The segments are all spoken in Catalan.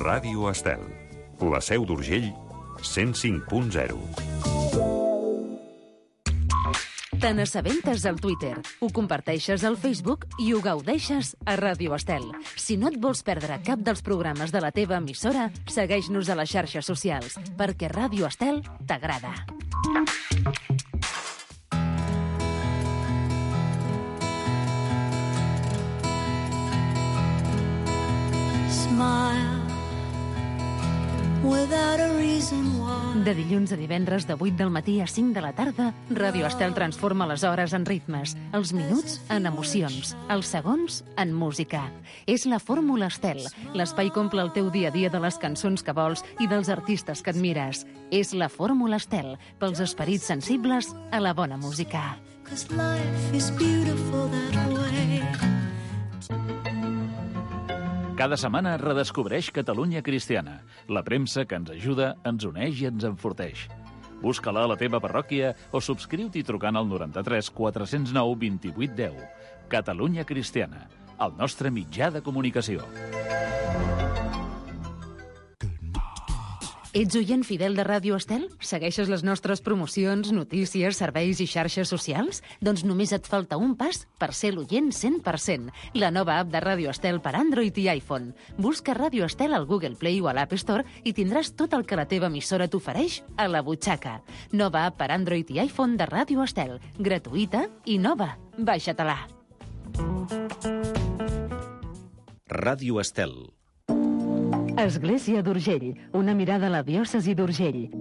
Ràdio Estel. La Seu d'Urgell, 105.0. Te n'assabentes al Twitter, ho comparteixes al Facebook i ho gaudeixes a Ràdio Estel. Si no et vols perdre cap dels programes de la teva emissora, segueix-nos a les xarxes socials, perquè Ràdio Estel t'agrada. De dilluns a divendres de 8 del matí a 5 de la tarda, Ràdio Estel transforma les hores en ritmes, els minuts en emocions, els segons en música. És la Fórmula Estel. L'espai que omple el teu dia a dia de les cançons que vols i dels artistes que admires. És la Fórmula Estel, pels esperits sensibles a la bona música. Cada setmana redescobreix Catalunya Cristiana, la premsa que ens ajuda, ens uneix i ens enforteix. Busca-la a la teva parròquia o subscriu-t'hi trucant al 93 409 28 10. Catalunya Cristiana, el nostre mitjà de comunicació. Ets oient fidel de Ràdio Estel? Segueixes les nostres promocions, notícies, serveis i xarxes socials? Doncs només et falta un pas per ser l'oient 100%. La nova app de Ràdio Estel per Android i iPhone. Busca Ràdio Estel al Google Play o a l'App Store i tindràs tot el que la teva emissora t'ofereix a la butxaca. Nova app per Android i iPhone de Ràdio Estel. Gratuïta i nova. Baixa-te-la. Ràdio Estel. Església d'Urgell, una mirada a la diòcesi d'Urgell.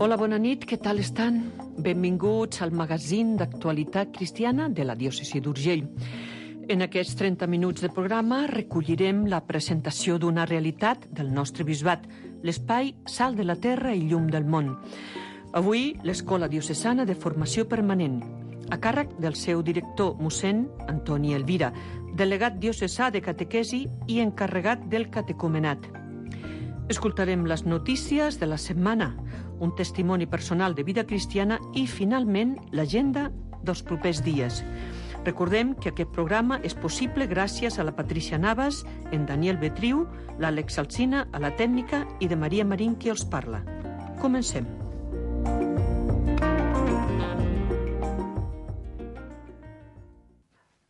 Hola, bona nit, què tal estan? Benvinguts al magazín d'actualitat cristiana de la diòcesi d'Urgell. En aquests 30 minuts de programa recollirem la presentació d'una realitat del nostre bisbat, l'espai Sal de la Terra i Llum del Món. Avui, l'Escola Diocesana de Formació Permanent, a càrrec del seu director, mossèn Antoni Elvira, delegat diocesà de catequesi i encarregat del catecumenat. Escoltarem les notícies de la setmana, un testimoni personal de vida cristiana i, finalment, l'agenda dels propers dies. Recordem que aquest programa és possible gràcies a la Patricia Navas, en Daniel Betriu, l'Àlex Alsina, a la tècnica i de Maria Marín, qui els parla. Comencem.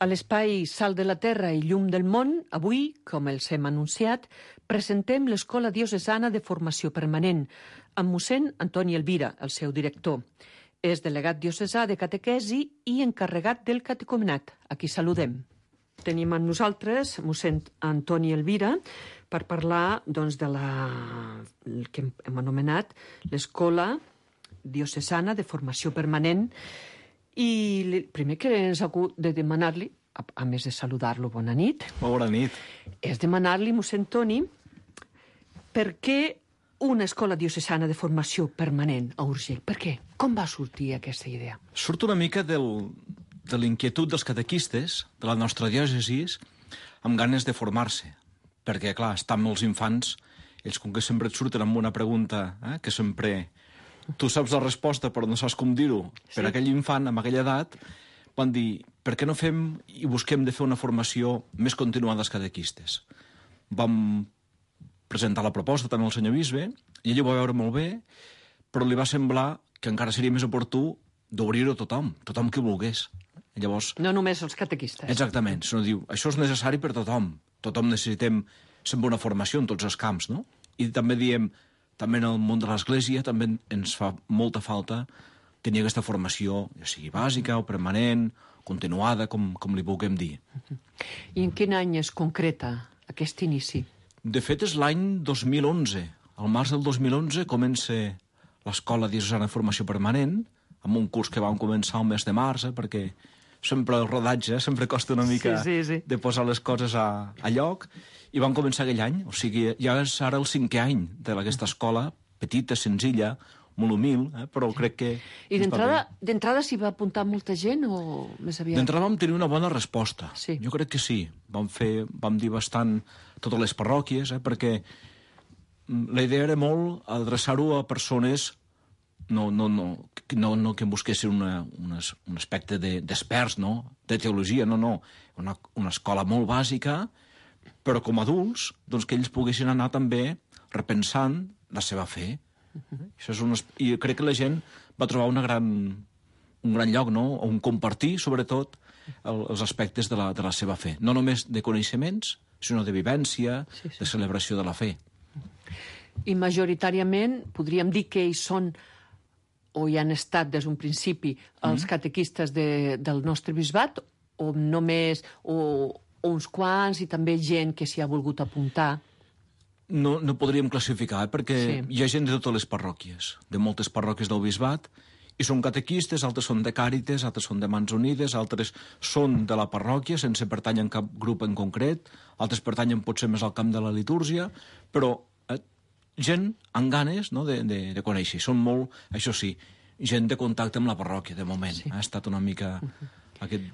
A l'espai Sal de la Terra i Llum del Món, avui, com els hem anunciat, presentem l'Escola Diocesana de Formació Permanent, amb mossèn Antoni Elvira, el seu director. És delegat diocesà de catequesi i encarregat del catecumenat. Aquí saludem. Tenim amb nosaltres mossèn Antoni Elvira per parlar doncs, de el que hem anomenat l'Escola Diocesana de Formació Permanent. I el primer que ens ha hagut de demanar-li, a més de saludar-lo, bona nit. Molt bona nit. És demanar-li, mossèn Toni, per què una escola diocesana de formació permanent a Urgell? Per què? Com va sortir aquesta idea? Surt una mica de l'inquietud dels catequistes de la nostra diòcesi amb ganes de formar-se. Perquè, clar, estan molts infants, ells com que sempre et surten amb una pregunta que sempre... Tu saps la resposta, però no saps com dir-ho. Sí. Per aquell infant, amb aquella edat, van dir, per què no fem i busquem de fer una formació més continuada als catequistes? Vam presentar la proposta també al senyor bisbe, i ell ho va veure molt bé, però li va semblar que encara seria més oportú d'obrir-ho a tothom que volgués. I llavors... No només els catequistes. Exactament, sinó diu, això és necessari per tothom. Tothom necessitem sempre una formació en tots els camps, no? I també diem... També en el món de l'Església també ens fa molta falta tenir aquesta formació, ja sigui bàsica o permanent, continuada, com li vulguem dir. I en quin any es concreta aquest inici? De fet, és l'any 2011. Al març del 2011 comença l'Escola Diocesana de Formació Permanent, amb un curs que vam començar al mes de març, perquè sempre el rodatge sempre costa una mica sí. de posar les coses a lloc, i vam començar aquell any, o sigui, ja és ara el 5è any d'aquesta escola, petita, senzilla, molt humil, però crec que... I d'entrada s'hi va apuntar molta gent o més aviat? D'entrada vam tenir una bona resposta. Sí. Jo crec que sí. Vam dir bastant totes les parròquies, perquè la idea era molt adreçar-ho a persones no que busquessin un aspecte d'experts, no? De teologia, no. Una escola molt bàsica però com a adults, doncs que ells poguessin anar també repensant la seva fe. Això és I crec que la gent va trobar un gran lloc, no? On compartir, sobretot, els aspectes de la seva fe. No només de coneixements, sinó de vivència, de celebració de la fe. I majoritàriament podríem dir que ells són, o hi han estat des d'un principi, els catequistes del nostre bisbat, o només o uns quants i també gent que s'hi ha volgut apuntar? No podríem classificar, perquè hi ha gent de totes les parròquies, de moltes parròquies del bisbat, i són catequistes, altres són de Càrites, altres són de Mans Unides, altres són de la parròquia, sense pertànyer a cap grup en concret, altres pertanyen potser més al camp de la litúrgia, però gent amb ganes, no, de conèixer. Són molt, això sí, gent de contacte amb la parròquia, de moment. Sí. Ha estat una mica aquest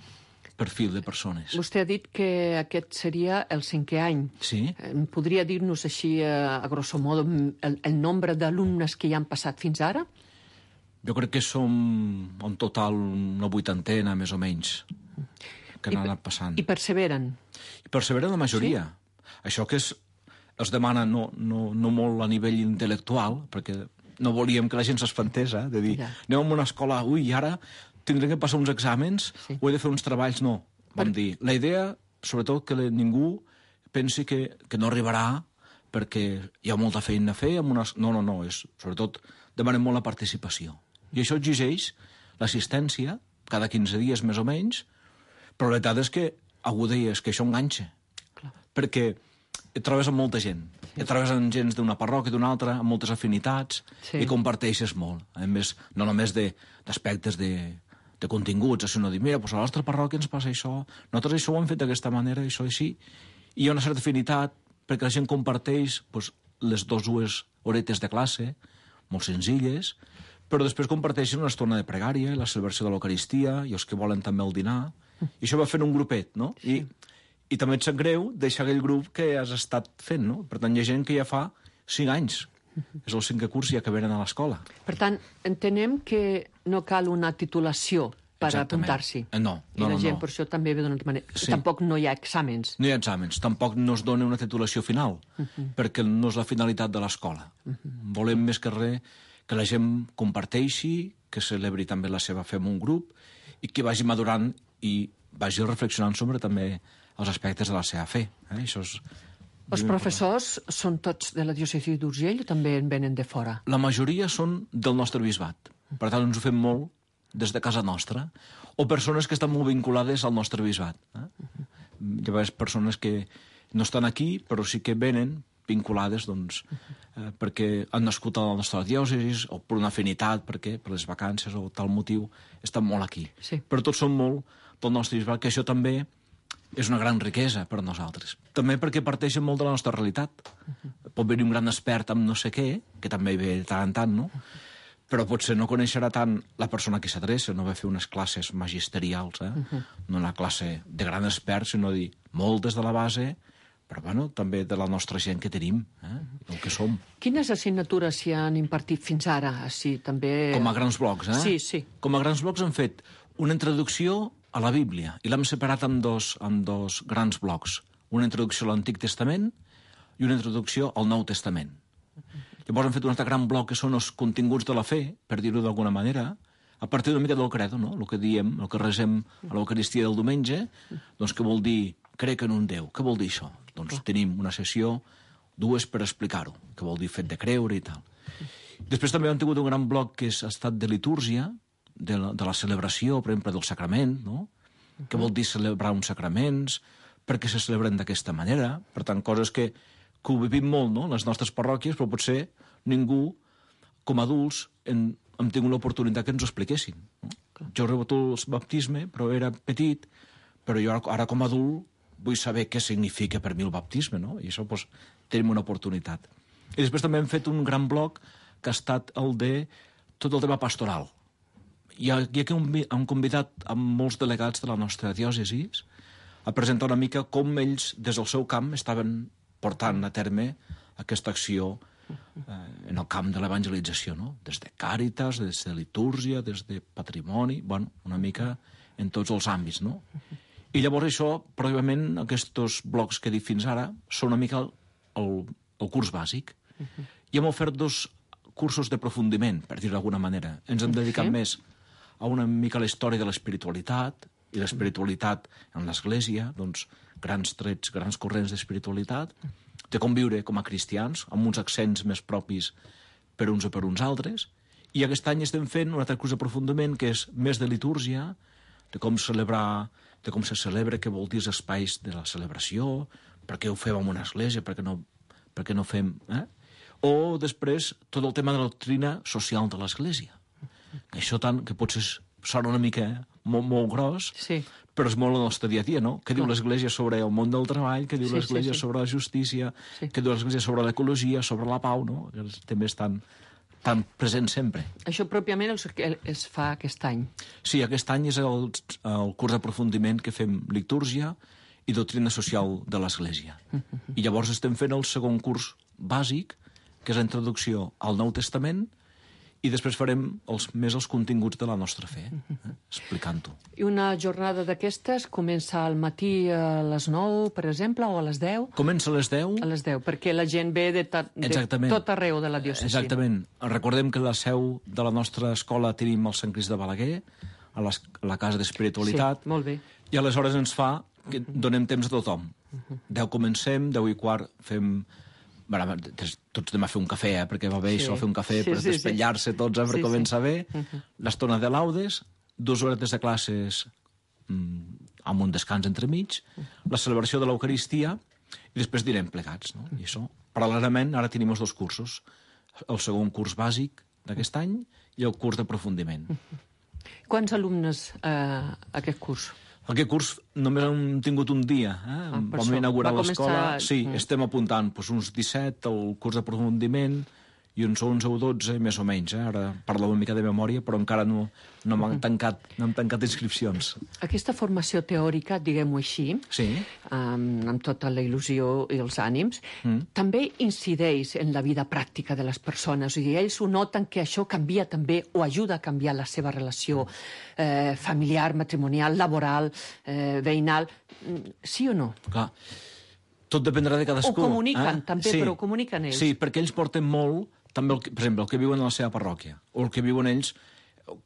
perfil de persones. Vostè ha dit que aquest seria el 5è any. Sí. Podria dir-nos així, a grosso modo, el nombre d'alumnes que hi han passat fins ara? Jo crec que som en total una 80ena, més o menys, que han anat passant. I perseveren? I perseveren la majoria. Sí? Això que es demana no molt a nivell intel·lectual, perquè no volíem que la gent s'espantés, de dir, anem a una escola, i ara tindrem que passar uns exàmens, o he de fer uns treballs, no. Vam dir, la idea, sobretot, que ningú pensi que no arribarà perquè hi ha molta feina a fer. No, sobretot demanem molt la participació. I això exigeix l'assistència, cada 15 dies més o menys, però la veritat és que algú deia que això enganxa, perquè et trobes amb molta gent. Et trobes amb gent d'una parròquia, d'una altra, amb moltes afinitats, i comparteixes molt. A més, no només d'aspectes de continguts, sinó dir, mira, a la nostra parròquia ens passa això, nosaltres això ho hem fet d'aquesta manera, això així, i hi ha una certa afinitat perquè la gent comparteix les dues horetes de classe, molt senzilles, però després comparteixen una estona de pregària, la celebració de l'Eucaristia, i els que volen també el dinar, i això va fent un grupet, no? I també et sap greu deixar aquell grup que has estat fent, no? Per tant, hi ha gent que ja fa 5 anys. És el 5è curs ja que venen a l'escola. Per tant, entenem que no cal una titulació per apuntar-s'hi. No. I la gent per això també ve d'una altra manera. Sí. Tampoc no hi ha exàmens. No hi ha exàmens. Tampoc no es dona una titulació final, perquè no és la finalitat de l'escola. Volem més que res que la gent comparteixi, que celebri també la seva fe en un grup i que vagi madurant i vagi reflexionant sobre també els aspectes de la seva fe. Això és... Els professors són tots de la diòcesi d'Urgell o també en venen de fora? La majoria són del nostre bisbat. Per tant, ens ho fem molt des de casa nostra. O persones que estan molt vinculades al nostre bisbat. Hi ha persones que no estan aquí, però sí que venen vinculades, doncs, perquè han nascut a la nostra diòcesi o per una afinitat, perquè per les vacances o tal motiu estan molt aquí. Sí. Però tots són molt del nostre bisbat, que això també és una gran riquesa per a nosaltres. També perquè parteixen molt de la nostra realitat. Pot venir un gran expert amb no sé què, que també hi ve de tant en tant, no? Però potser no coneixerà tant la persona que s'adreça, no va fer unes classes magisterials, no una classe de gran expert, sinó dir moltes de la base, però bueno, també de la nostra gent que tenim, el que som. Quines assignatures s'hi han impartit fins ara? Així, també... Com a grans blocs, Sí. Com a grans blocs han fet una introducció a la Bíblia, i l'hem separat en dos grans blocs. Una introducció a l'Antic Testament i una introducció al Nou Testament. Llavors hem fet un altre gran bloc que són els continguts de la fe, per dir-ho d'alguna manera, a partir d'una mica del credo, no? El que diem, el que resem a l'Eucaristia del diumenge, doncs què vol dir crec en un Déu? Què vol dir això? Doncs tenim una sessió, 2 per explicar-ho, què vol dir fet de creure i tal. Després també hem tingut un gran bloc que ha estat de litúrgia, de la celebració, per exemple, del sacrament, no? Què vol dir celebrar uns sacraments, per què se celebren d'aquesta manera, per tant, coses que ho vivim molt, no?, les nostres parròquies, però potser ningú, com a adults, hem tingut l'oportunitat que ens ho expliquessin. No? Jo he rebut el baptisme, però era petit, però jo ara com a adult vull saber què significa per mi el baptisme, no? I això, doncs, tenim una oportunitat. I després també hem fet un gran bloc que ha estat el de tot el tema pastoral. I aquí hem convidat a molts delegats de la nostra diòcesi a presentar una mica com ells, des del seu camp, estaven portant a terme aquesta acció en el camp de l'evangelització, no? Des de Càritas, des de litúrgia, des de patrimoni, bueno, una mica en tots els àmbits, no? I llavors això, pròpiament, aquests blocs que he dit fins ara, són una mica el curs bàsic. I hem ofert 2 cursos d'aprofundiment, per dir-ho d'alguna manera. Ens hem dedicat més a una mica a la història de l'espiritualitat, i l'espiritualitat en l'Església, doncs, grans trets, grans corrents d'espiritualitat, de com viure com a cristians, amb uns accents més propis per uns o per uns altres, i aquest any estem fent un altre curs d'aprofundiment que és més de litúrgia, de com celebrar, de com se celebra, què vol dir els espais de la celebració, per què ho fem en una església, per què no fem... O després tot el tema de la doctrina social de l'església. Això tant que potser sona una mica molt gros, però és molt el nostre dia a dia, no? Què diu l'Església sobre el món del treball, què diu l'Església sobre la justícia, què diu l'Església sobre l'ecologia, sobre la pau, no? Els temes tan presents sempre. Això pròpiament es fa aquest any? Sí, aquest any és el curs d'aprofundiment que fem litúrgia i doctrina social de l'Església. I llavors estem fent el segon curs bàsic, que és la introducció al Nou Testament, i després farem els continguts de la nostra fe, explicant-ho. I una jornada d'aquestes comença al matí a les 9, per exemple, o a les 10? Comença a les 10. A les 10, perquè la gent ve de tot arreu de la diòcesi. Exactament. Recordem que la seu de la nostra escola tenim al Sant Crist de Balaguer, a la Casa d'Espiritualitat. Sí, molt bé. I aleshores ens fa que donem temps a tothom. 10 comencem, 10:15 fem... tots anem a fer un cafè, perquè va bé això, fer un cafè per despetllar-se tots, per començar bé. L'estona de laudes, 2 hores de classes amb un descans entremig, la celebració de l'Eucaristia, i després direm plegats, no? I això, paral·lelament, ara tenim els 2 cursos. El segon curs bàsic d'aquest any i el curs d'aprofundiment. Quants alumnes aquest curs? Aquest curs només hem tingut un dia. Vam inaugurar l'escola. Sí, estem apuntant uns 17 al curs d'aprofundiment i uns 11 o 12, més o menys. Ara parlo una mica de memòria, però encara no hem tancat inscripcions. Aquesta formació teòrica, diguem-ho així, amb tota la il·lusió i els ànims, també incideix en la vida pràctica de les persones. O sigui, ells ho noten que això canvia també o ajuda a canviar la seva relació familiar, matrimonial, laboral, veïnal. Sí o no? Clar. Tot dependrà de cadascú. Ho comuniquen també, però ho comuniquen ells. Sí, perquè ells porten molt, també, per exemple, el que viuen a la seva parròquia, o el que viuen ells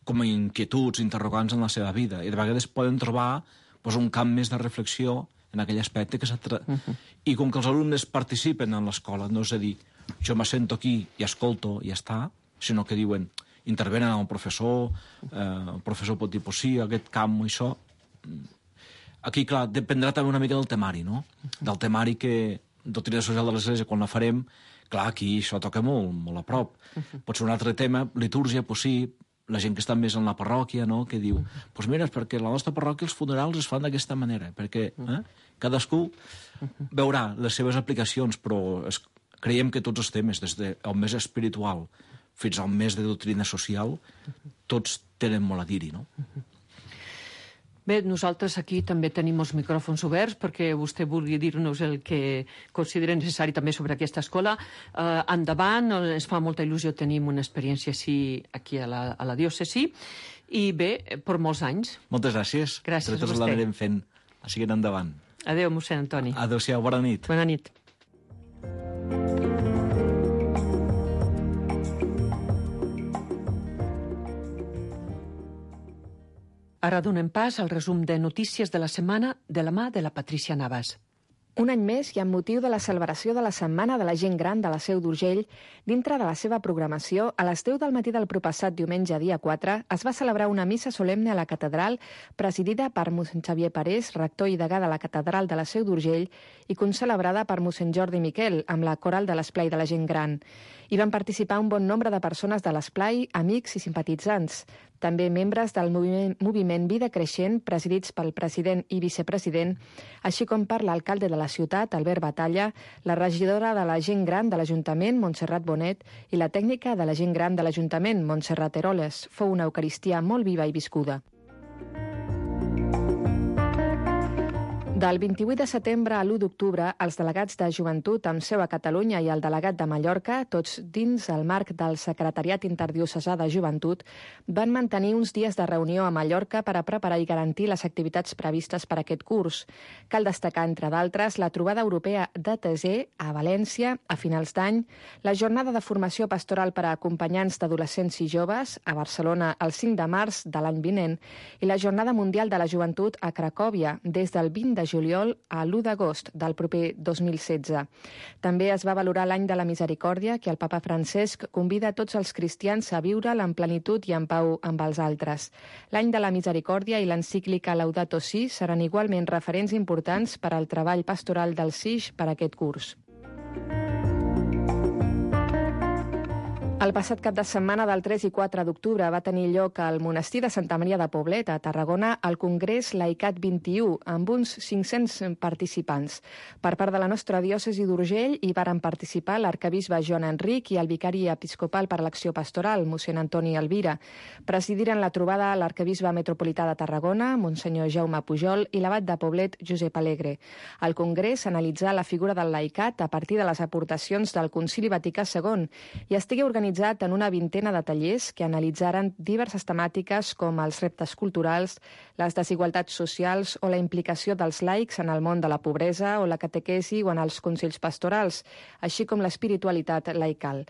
com a inquietuds, interrogants en la seva vida, i de vegades poden trobar un camp més de reflexió en aquell aspecte que I com que els alumnes participen en l'escola, no és a dir, jo m'assento aquí i escolto i ja està, sinó que diuen, intervenen el professor pot dir, sí, aquest camp o això. Aquí, clar, dependrà també una mica del temari, no? Del temari que, doctrina social de l'Església, quan la farem, clar, aquí això toca molt a prop. Pot ser un altre tema, litúrgia, sí, la gent que està més en la parròquia, no?, que diu, mira, és perquè a la nostra parròquia els funerals es fan d'aquesta manera, perquè cadascú veurà les seves aplicacions, però creiem que tots els temes, des del més espiritual fins al més de doctrina social, tots tenen molt a dir-hi, no? Bé, nosaltres aquí també tenim els micròfons oberts perquè vostè vulgui dir-nos el que considera necessari també sobre aquesta escola. Endavant, ens fa molta il·lusió tenir una experiència així aquí a la diòcesi i bé, per molts anys. Moltes gràcies. Gràcies a vostè. L'anirem fent. Seguint endavant. Adéu, mossèn Antoni. Adéu-siau, bona nit. Bona nit. Ara donem pas al resum de notícies de la setmana de la mà de la Patrícia Navas. Un any més i amb motiu de la celebració de la Setmana de la Gent Gran de la Seu d'Urgell, dintre de la seva programació, a les 10 del matí del propassat diumenge dia 4 es va celebrar una missa solemne a la catedral presidida per mossèn Xavier Parés, rector i degà de la catedral de la Seu d'Urgell, i concelebrada per mossèn Jordi Miquel, amb la coral de l'Esplai de la Gent Gran. Hi van participar un bon nombre de persones de l'Esplai, amics i simpatitzants. També membres del moviment Vida Creixent, presidits pel president i vicepresident, així com per l'alcalde de la ciutat, Albert Batalla, la regidora de la Gent Gran de l'Ajuntament, Montserrat Bonet, i la tècnica de la Gent Gran de l'Ajuntament, Montserrat Eroles. Fou una Eucaristia molt viva i viscuda. Del 28 de setembre a l'1 d'octubre, els delegats de Joventut amb seu a Catalunya i el delegat de Mallorca, tots dins el marc del Secretariat Interdiocesà de Joventut, van mantenir uns dies de reunió a Mallorca per a preparar i garantir les activitats previstes per aquest curs. Cal destacar, entre d'altres, la trobada europea d'ATC a València a finals d'any, la jornada de formació pastoral per a acompanyants d'adolescents i joves a Barcelona el 5 de març de l'any vinent i la Jornada Mundial de la Joventut a Cracòvia des del 20 de juliol a l'1 d'agost del proper 2016. També es va valorar l'any de la misericòrdia que el papa Francesc convida a tots els cristians a viure'l en plenitud i en pau amb els altres. L'any de la misericòrdia i l'encíclica Laudato Si seran igualment referents importants per al treball pastoral del SIJ per aquest curs. El passat cap de setmana del 3 i 4 d'octubre va tenir lloc al monestir de Santa Maria de Poblet, a Tarragona, el Congrés Laicat 21, amb uns 500 participants. Per part de la nostra diòcesi d'Urgell hi varen participar l'arcabisbe Joan Enric i el vicari episcopal per l'acció pastoral, mossèn Antoni Elvira. Presidiren la trobada l'arcabisbe metropolità de Tarragona, monsenyor Jaume Pujol, i l'abat de Poblet, Josep Alegre. El Congrés analitzà la figura del laicat a partir de les aportacions del Concili Vaticà II i estigué organitzat en una vintena de tallers que analitzaren diverses temàtiques com els reptes culturals, les desigualtats socials o la implicació dels laics en el món de la pobresa o la catequesi o en els consells pastorals, així com l'espiritualitat laical.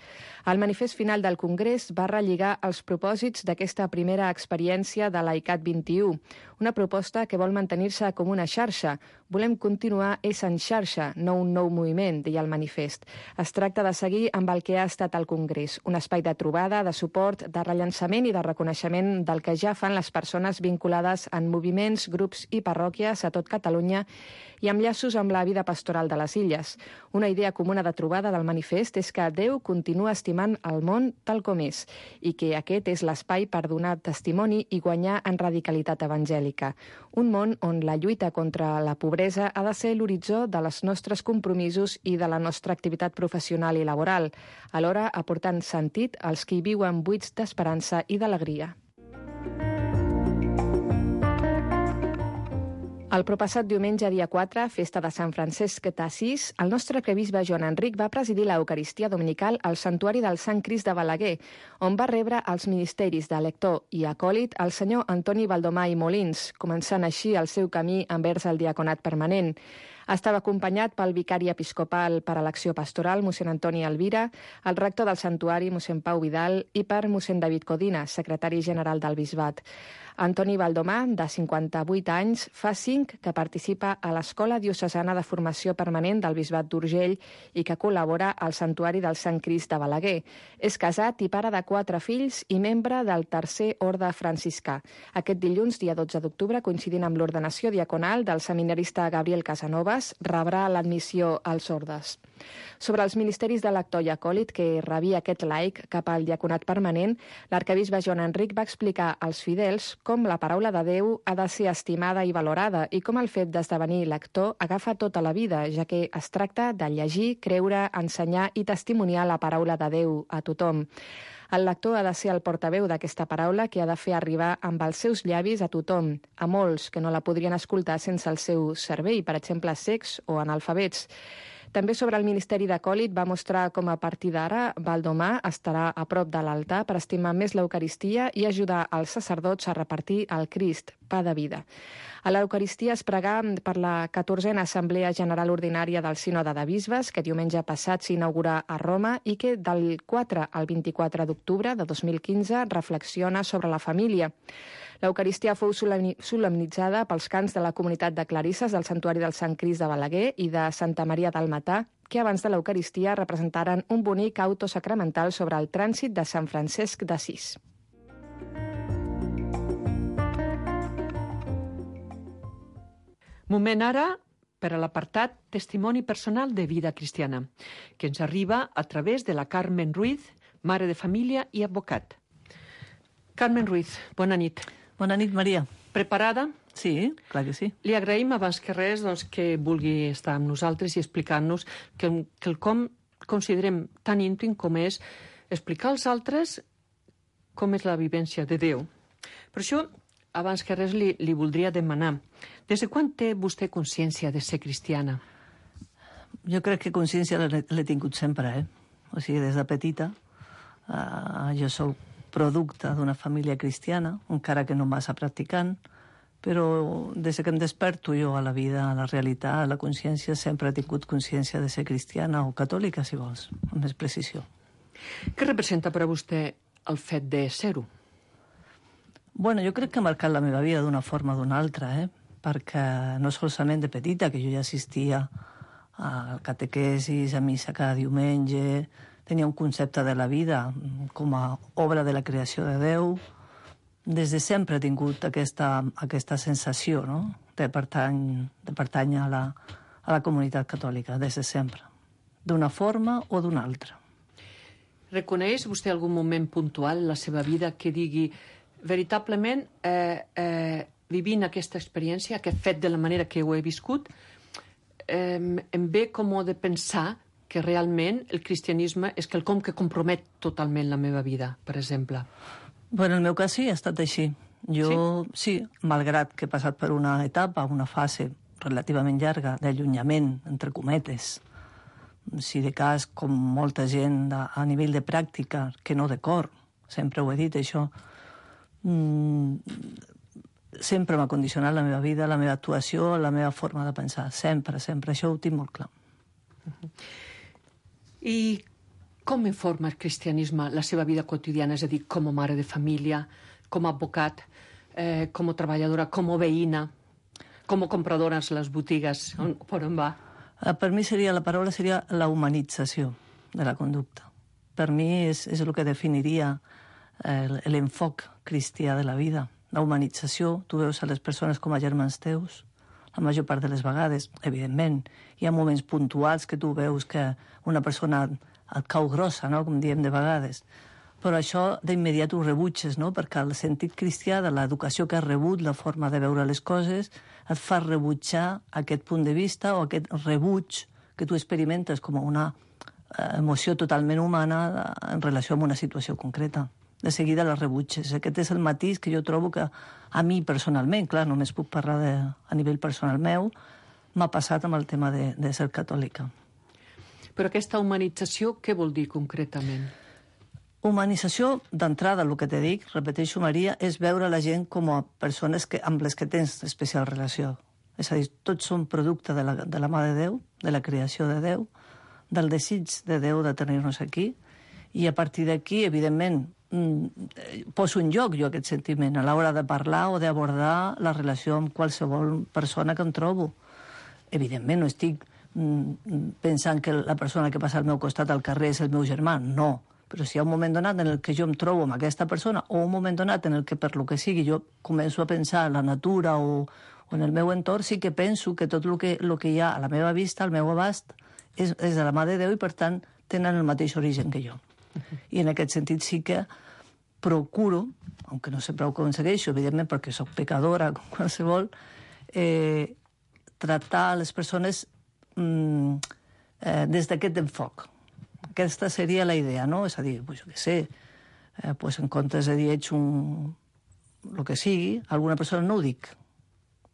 El manifest final del Congrés va relligar els propòsits d'aquesta primera experiència de Laicat 21, una proposta que vol mantenir-se com una xarxa. Volem continuar en xarxa, no un nou moviment, deia el manifest. Es tracta de seguir amb el que ha estat el Congrés, un espai de trobada, de suport, de rellançament i de reconeixement del que ja fan les persones vinculades en moviments, grups i parròquies a tot Catalunya i amb llaços amb la vida pastoral de les illes. Una idea comuna de trobada del manifest és que Déu continua estimant el món tal com és i que aquest és l'espai per donar testimoni i guanyar en radicalitat evangèlica. Un món on la lluita contra la pobresa ha de ser l'horitzó de les nostres compromisos i de la nostra activitat professional i laboral, alhora aportant sentit als qui viuen buits d'esperança i d'alegria. El propassat diumenge, dia 4, festa de Sant Francesc d'Assís, el nostre arquebisbe Joan Enric va presidir l'Eucaristia dominical al Santuari del Sant Crist de Balaguer, on va rebre els ministeris de lector i acòlit el senyor Antoni Baldomà i Molins, començant així el seu camí envers el diaconat permanent. Estava acompanyat pel vicari episcopal per a l'acció pastoral, mossèn Antoni Elvira, el rector del santuari, mossèn Pau Vidal, i per mossèn David Codina, secretari general del bisbat. Antoni Baldomà, de 58 anys, fa 5 que participa a l'Escola Diocesana de Formació Permanent del Bisbat d'Urgell i que col·labora al Santuari del Sant Crist de Balaguer. És casat i pare de 4 fills i membre del Tercer Orde Franciscà. Aquest dilluns, dia 12 d'octubre, coincidint amb l'ordenació diaconal del seminarista Gabriel Casanovas, rebrà l'admissió als ordes. Sobre els ministeris de lector i acòlit que rebia aquest laic cap al diaconat permanent, l'arquebisbe Joan Enric va explicar als fidels com la paraula de Déu ha de ser estimada i valorada i com el fet d'esdevenir lector agafa tota la vida, ja que es tracta de llegir, creure, ensenyar i testimoniar la paraula de Déu a tothom. El lector ha de ser el portaveu d'aquesta paraula que ha de fer arribar amb els seus llavis a tothom, a molts que no la podrien escoltar sense el seu cervell, per exemple, cecs o analfabets. També sobre el Ministeri d'Acòlit va mostrar com a partir d'ara Baldomà estarà a prop de l'altar per estimar més l'Eucaristia i ajudar els sacerdots a repartir el Crist, pa de vida. A l'Eucaristia es pregà per la 14a Assemblea General Ordinària del Sínode de Bisbes, que diumenge passat s'inaugurà a Roma i que del 4 al 24 d'octubre de 2015 reflexiona sobre la família. L'Eucaristia fou solemnitzada pels cants de la comunitat de clarisses del Santuari del Sant Crist de Balaguer i de Santa Maria del Matà, que abans de l'Eucaristia representaren un bonic auto sacramental sobre el trànsit de Sant Francesc d'Assís. Moment ara per a l'apartat Testimoni personal de vida cristiana, que ens arriba a través de la Carmen Ruiz, mare de família i advocat. Carmen Ruiz, bona nit. Bona nit, Maria. Preparada? Sí, clar que sí. Li agraïm abans que res que vulgui estar amb nosaltres i explicar-nos quelcom considerem tan íntim com és explicar als altres com és la vivència de Déu. Per això abans que res li voldria demanar, des de quan té vostè consciència de ser cristiana? Jo crec que consciència l'he tingut sempre, O sigui, des de petita. Jo soc producte d'una família cristiana, encara que no massa practicant, però des que em desperto jo a la vida, a la realitat, a la consciència, sempre he tingut consciència de ser cristiana o catòlica, si vols, amb més precisió. Què representa per a vostè el fet de ser-ho? Bueno, jo crec que ha marcat la meva vida d'una forma o d'una altra, perquè no solament de petita, que jo ja assistia al catequesis, a missa cada diumenge, tenia un concepte de la vida com a obra de la creació de Déu. Des de sempre he tingut aquesta sensació, no?, de pertànyer a la comunitat catòlica, des de sempre, d'una forma o d'una altra. Reconeix vostè algun moment puntual en la seva vida que digui veritablement vivint aquesta experiència, aquest fet de la manera que ho he viscut, em ve com de pensar que realment el cristianisme és quelcom que compromet totalment la meva vida, per exemple? Bueno, en el meu cas sí, ha estat així. Jo, sí, malgrat que he passat per una etapa, una fase relativament llarga d'allunyament, entre cometes, si de cas, com molta gent a nivell de pràctica, que no de cor, sempre ho he dit, això, sempre m'ha condicionat la meva vida, la meva actuació, la meva forma de pensar, sempre, això ho tinc molt clar. I com informa el cristianisme la seva vida quotidiana, és a dir, com a mare de família, com a advocat, com a treballadora, com a veïna, com a compradora a les botigues, per on va? Per mi la paraula seria la humanització de la conducta. Per mi és el que definiria l'enfoc cristià de la vida. La humanització, tu veus a les persones com a germans teus, la major part de les vegades, evidentment. Hi ha moments puntuals que tu veus que una persona et cau grossa, no?, com diem de vegades. Però això d'immediat ho rebutges, no?, perquè el sentit cristià de l'educació que has rebut, la forma de veure les coses, et fa rebutjar aquest punt de vista o aquest rebuig que tu experimentes com una emoció totalment humana en relació amb una situació concreta. De seguida la rebutges. Aquest és el matís que jo trobo que a mi personalment, clar, només puc parlar a nivell personal meu, m'ha passat amb el tema de ser catòlica. Però aquesta humanització, què vol dir concretament? Humanització, d'entrada, el que te dic, repeteixo, Maria, és veure la gent com a persones amb les que tens especial relació. És a dir, tots són producte de la mà de Déu, de la creació de Déu, del desig de Déu de tenir-nos aquí, i a partir d'aquí, evidentment, poso en joc jo aquest sentiment a l'hora de parlar o d'abordar la relació amb qualsevol persona que em trobo. Evidentment, no estic pensant que la persona que passa al meu costat al carrer és el meu germà, no. Però si hi ha un moment donat en el que jo em trobo amb aquesta persona o un moment donat en el que, per lo que sigui, jo començo a pensar en la natura o en el meu entorn, sí que penso que tot el que hi ha a la meva vista, al meu abast, és de la mà de Déu i, per tant, tenen el mateix origen que jo. I en aquest sentit sí que procuro, aunque no sempre ho aconsegueixo, evidentment, perquè sóc pecadora, com qualsevol, tractar les persones des d'aquest enfoc. Aquesta seria la idea, no? És a dir, jo què sé, en comptes de dir ets el que sigui, alguna persona no ho dic,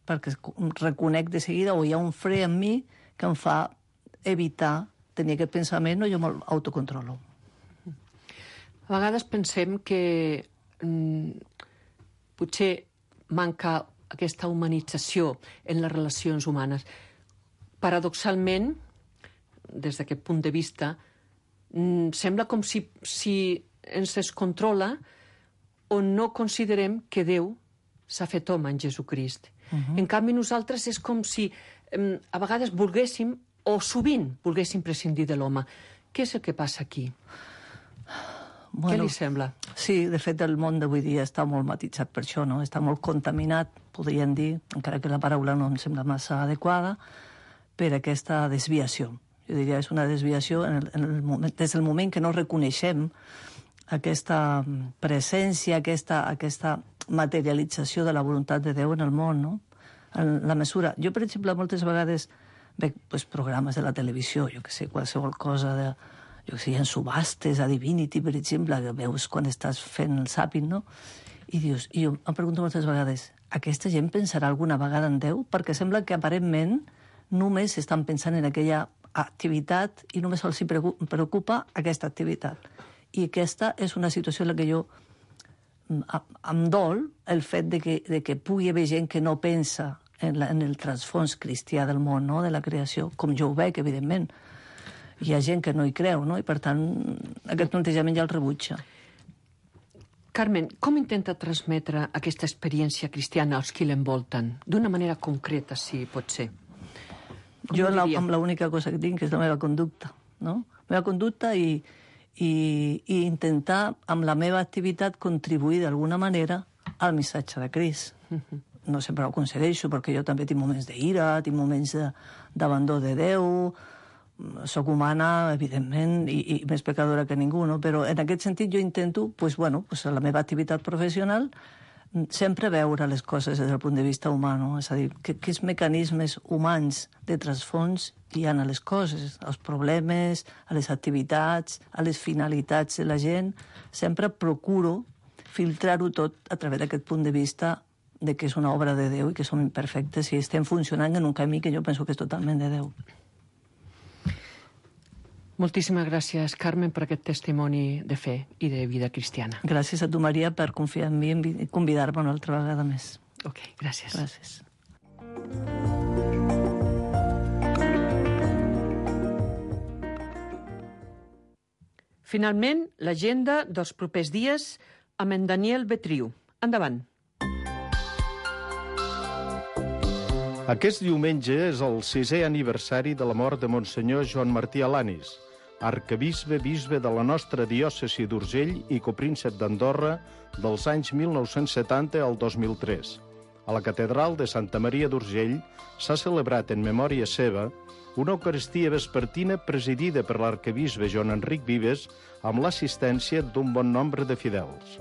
perquè reconec de seguida o hi ha un fre en mi que em fa evitar tenir aquest pensament o jo me'l autocontrolo. A vegades pensem que potser manca aquesta humanització en les relacions humanes. Paradoxalment, des d'aquest punt de vista, sembla com si ens es controla o no considerem que Déu s'ha fet home en Jesucrist. En canvi, nosaltres és com si a vegades volguéssim, o sovint volguéssim prescindir de l'home. Què és el que passa aquí? Què li sembla? Sí, de fet, el món d'avui dia està molt matitzat per això, no? Està molt contaminat, podríem dir, encara que la paraula no em sembla massa adequada, per aquesta desviació. Jo diria que és una desviació des del moment que no reconeixem aquesta presència, aquesta materialització de la voluntat de Déu en el món, no? En la mesura... Jo, per exemple, moltes vegades veig programes de la televisió, jo que sé, qualsevol cosa de... Jo que sé, hi ha subhastes a Divinity, per exemple, que veus quan estàs fent el zàping, no? I dius, i jo em pregunto moltes vegades, aquesta gent pensarà alguna vegada en Déu? Perquè sembla que aparentment només estan pensant en aquella activitat i només els preocupa aquesta activitat. I aquesta és una situació en la que jo em dol el fet de que pugui haver gent que no pensa en el transfons cristià del món, no? De la creació, com jo ho veig, evidentment. Hi ha gent que no hi creu, no? I per tant, aquest plantejament ja el rebutja. Carmen, com intenta transmetre aquesta experiència cristiana als qui l'envolten? D'una manera concreta, si pot ser. Jo amb l'única cosa que tinc, que és la meva conducta, no? La meva conducta i intentar, amb la meva activitat, contribuir d'alguna manera al missatge de Crist. No sempre ho aconsegueixo, perquè jo també tinc moments d'ira, tinc moments d'abandó de Déu, soc humana, evidentment, i més pecadora que ningú, no? Però en aquest sentit jo intento, a la meva activitat professional, sempre veure les coses des del punt de vista humà, no? És a dir, quins mecanismes humans de transfons hi ha a les coses, als problemes, a les activitats, a les finalitats de la gent. Sempre procuro filtrar-ho tot a través d'aquest punt de vista de que és una obra de Déu i que som imperfectes i estem funcionant en un camí que jo penso que és totalment de Déu. Moltíssimes gràcies, Carmen, per aquest testimoni de fe i de vida cristiana. Gràcies a tu, Maria, per confiar en mi i convidar-me una altra vegada més. Ok, gràcies. Gràcies. Finalment, l'agenda dels propers dies amb en Daniel Betriu. Endavant. Aquest diumenge és el 6è aniversari de la mort de Monsenyor Joan Martí Alanis, arquebisbe de la nostra diòcesi d'Urgell i copríncep d'Andorra dels anys 1970 al 2003. A la catedral de Santa Maria d'Urgell s'ha celebrat en memòria seva una Eucaristia vespertina presidida per l'arquebisbe Joan Enric Vives amb l'assistència d'un bon nombre de fidels.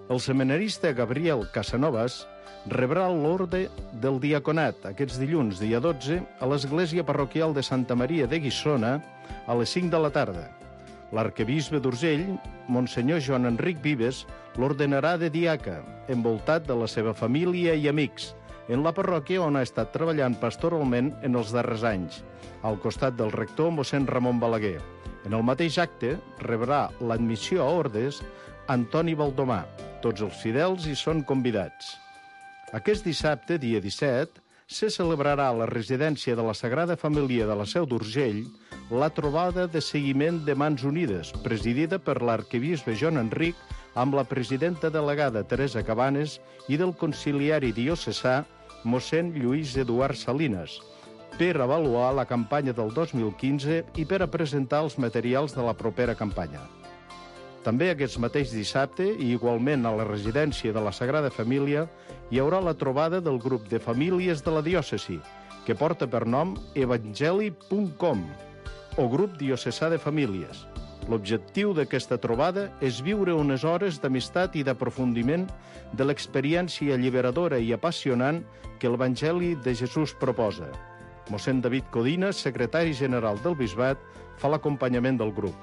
El seminarista Gabriel Casanovas rebrà l'orde del diaconat aquests dilluns, dia 12, a l'església parroquial de Santa Maria de Guissona a les 5 de la tarda. L'arquebisbe d'Urgell, Monsenyor Joan Enric Vives, l'ordenarà de diaca, envoltat de la seva família i amics, en la parròquia on ha estat treballant pastoralment en els darrers anys, al costat del rector mossèn Ramon Balaguer. En el mateix acte rebrà l'admissió a ordes Antoni Baldomà. Tots els fidels hi són convidats. Aquest dissabte, dia 17, se celebrarà a la residència de la Sagrada Família de la Seu d'Urgell la trobada de seguiment de Mans Unides, presidida per l'arquebisbe Joan Enric amb la presidenta delegada Teresa Cabanes i del conciliari diocesà mossèn Lluís Eduard Salinas, per avaluar la campanya del 2015 i per a presentar els materials de la propera campanya. També aquest mateix dissabte, i igualment a la residència de la Sagrada Família, hi haurà la trobada del grup de famílies de la diòcesi, que porta per nom evangeli.com, o grup diocesà de famílies. L'objectiu d'aquesta trobada és viure unes hores d'amistat i d'aprofundiment de l'experiència alliberadora i apassionant que l'Evangeli de Jesús proposa. Mossèn David Codina, secretari general del Bisbat, fa l'acompanyament del grup.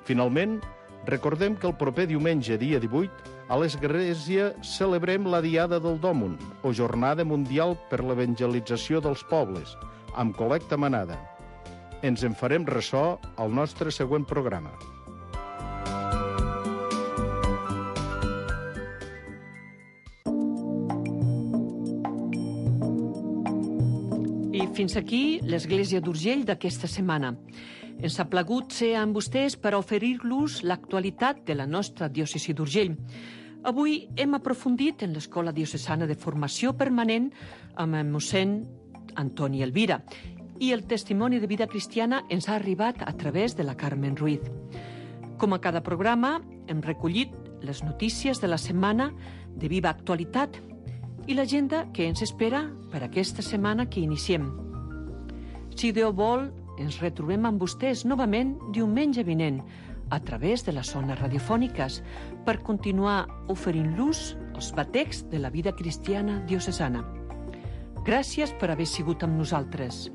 Finalment, recordem que el proper diumenge, dia 18, a l'Església celebrem la Diada del Dòmun, o Jornada Mundial per l'Evangelització dels Pobles, amb col·lecta manada. Ens en farem ressò al nostre següent programa. I fins aquí l'Església d'Urgell d'aquesta setmana. Ens ha plagut ser amb vostès per oferir-los l'actualitat de la nostra diòcesi d'Urgell. Avui hem aprofundit en l'Escola Diocesana de Formació Permanent amb el mossèn Antoni Elvira i el testimoni de vida cristiana ens ha arribat a través de la Carmen Ruiz. Com a cada programa, hem recollit les notícies de la setmana de viva actualitat i l'agenda que ens espera per aquesta setmana que iniciem. Si Déu vol, ens retrobem amb vostès novament diumenge vinent a través de les zones radiofòniques per continuar oferint-los els batecs de la vida cristiana diocesana. Gràcies per haver sigut amb nosaltres.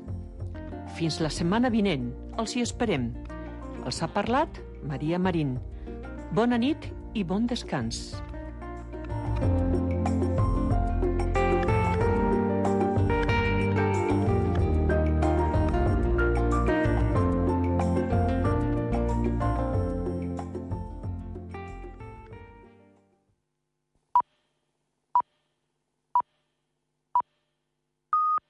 Fins la setmana vinent, els hi esperem. Els ha parlat Maria Marín. Bona nit i bon descans.